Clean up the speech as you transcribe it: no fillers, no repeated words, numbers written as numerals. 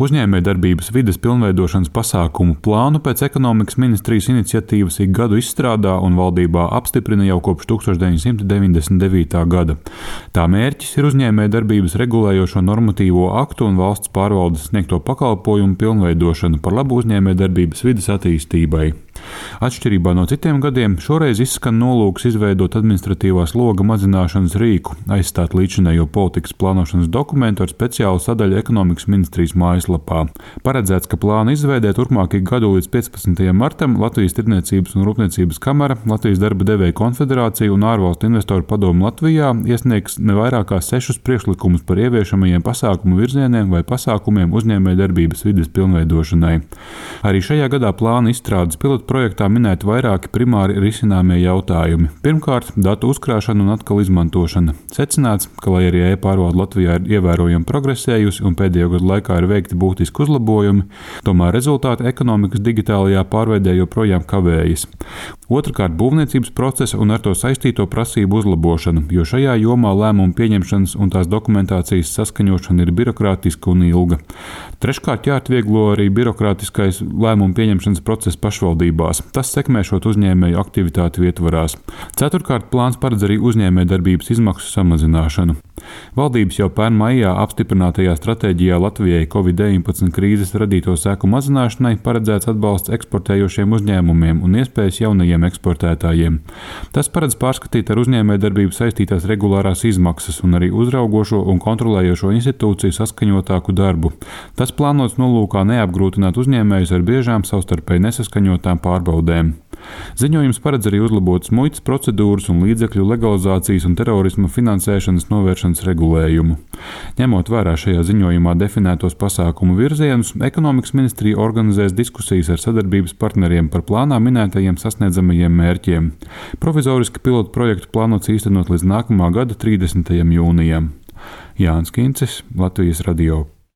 Uzņēmējdarbības vides pilnveidošanas pasākumu plānu pēc ekonomikas ministrijas iniciatīvas ik gadu izstrādā un valdībā apstiprina jau kopš 1999. gada. Tā mērķis ir uzņēmējdarbības regulējošo normatīvo aktu un valsts pārvaldes sniegto pakalpojumu pilnveidošana par labu uzņēmējdarbības vides attīstībai. Atšķirībā no citiem gadiem, šoreiz izskan nolūks izveidot administratīvā sloga mazināšanas rīku, aizstāt līdzinējo politikas plānošanas dokumentu ar speciālu sadaļu ekonomikas ministrijas mājaslapā. Paredzēts, ka plāna izveidē turpmāk ik gadu līdz 15. martam Latvijas Tirdzniecības un Rūpniecības kamara, Latvijas darba devēju konfederācija un ārvalstu investoru padome Latvijā iesniegs ne vairāk kā 6 priekšlikumus par ieviešamajiem pasākumu virzieniem vai pasākumiem uzņēmējdarbības vides pilnveidošanai. Arī šajā gadā plāna izstrādes projektā minēti vairāki primāri risināmie jautājumi. Pirmkārt, datu uzkrāšana un atkal izmantošana. Secināts, ka, lai arī e-pārvalde Latvijā ir ievērojami progresējusi un pēdējo gadu laikā ir veikti būtiski uzlabojumi, tomēr rezultāti ekonomikas digitālajā pārveidē joprojām kavējas. Otrakārt, būvniecības procesa un ar to saistīto prasību uzlabošana, jo šajā jomā lēmumu pieņemšanas un tās dokumentācijas saskaņošana ir birokrātiska un ilga. Treškārt, jāatvieglo arī birokrātiskais lēmumu pieņemšanas process pašvaldībās. Tas sekmēšot uzņēmēju aktivitāti vietvarās. Ceturtkārt, plāns paredz arī uzņēmējdarbības izmaksu samazināšanu. Valdības jau pērn maijā apstiprinātajā stratēģijā Latvijai Covid-19 krīzes radīto seku mazināšanai paredzēts atbalsts eksportējošiem uzņēmumiem un iespējas jaunajiem eksportētājiem. Tas paredz pārskatīt ar uzņēmējdarbību saistītās regulārās izmaksas un arī uzraugošo un kontrolējošo institūciju saskaņotāku darbu. Tas plānots nolūkā neapgrūtināt uzņēmējus ar biežām savstarpēji nesaskaņotām pārbaudēm. Ziņojums paredz arī uzlabotas muitas procedūras un līdzekļu legalizācijas un terorisma finansēšanas novēršanas regulējumu. Ņemot vērā šajā ziņojumā definētos pasākumu virzienus, ekonomikas ministrija organizēs diskusijas ar sadarbības partneriem par plānā minētajiem sasniedzamajiem mērķiem. Provizoriski pilotu projektu plānots īstenot līdz nākamā gada 30. jūnijam. Jānis Kincis, Latvijas radio.